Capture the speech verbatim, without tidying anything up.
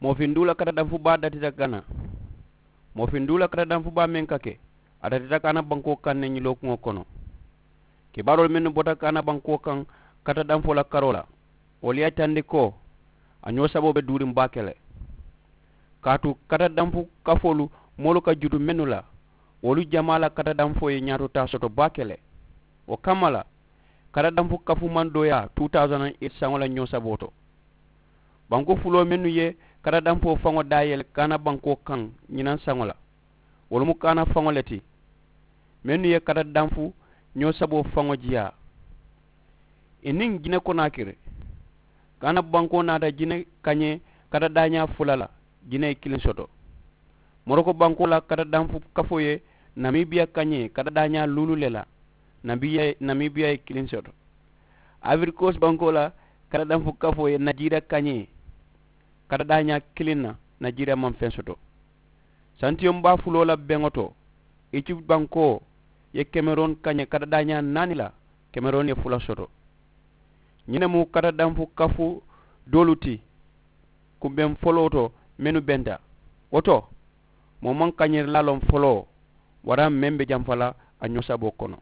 Moofindiŋo la katadanfu baa datita gana. Moofindiŋo la katadanfu baa meŋ ka ke, a datita kaana bankoo kaŋ ne ñilookuŋo kono. Kibaaroolu mennu bota kaana bankoo kaŋ katadanfoo la karoo la, wolu ye a yitandi ko a ñoo saboo be duuriŋ baake le. Kaatu katadanfu kafoolu moolu ka jutu mennu la, wolu jamaa la katadanfoo ye ñaatotaa soto baake le. Wo kamma la, katadanfu kafu maŋ dooyaa two thousand eight saŋo la ñoo saboo to. Banku fuloo mennu ye katadanfoo faŋo daayele kaana bankoo kaŋ ñinaŋ saŋo la, wolu mu kaana faŋo le ti mennu ye katadanfu ñoo saboo faŋo jiyaa. I niŋ jine konaakiri, kaana bankoo naata jine kañee katadaañaa fula la, jine ye kiliŋ soto. Moroko bankoo la katadanfu kafoo ye namibiya kañee katadaañaa luulu le la, namibiya ye kiliŋ soto. Abirikoosi bankoo la katadanfu kafoo ye najiira kañee katadaañaa kiliŋ na, najiira maŋ feŋ soto. Santiyoŋ baa fuloo la beŋo to, ijipti bankoo ye kemerooni kañee katadaañaa naani la, kemerooni ye fula soto. Ñiŋ ne mu katadanfu kafu doolu ti kumbeŋ foloo to mennu benta. Wo to, moo maŋ kañeerilaa loŋ foloo waraŋ meŋ be jamfa la a ñoo saboo kono.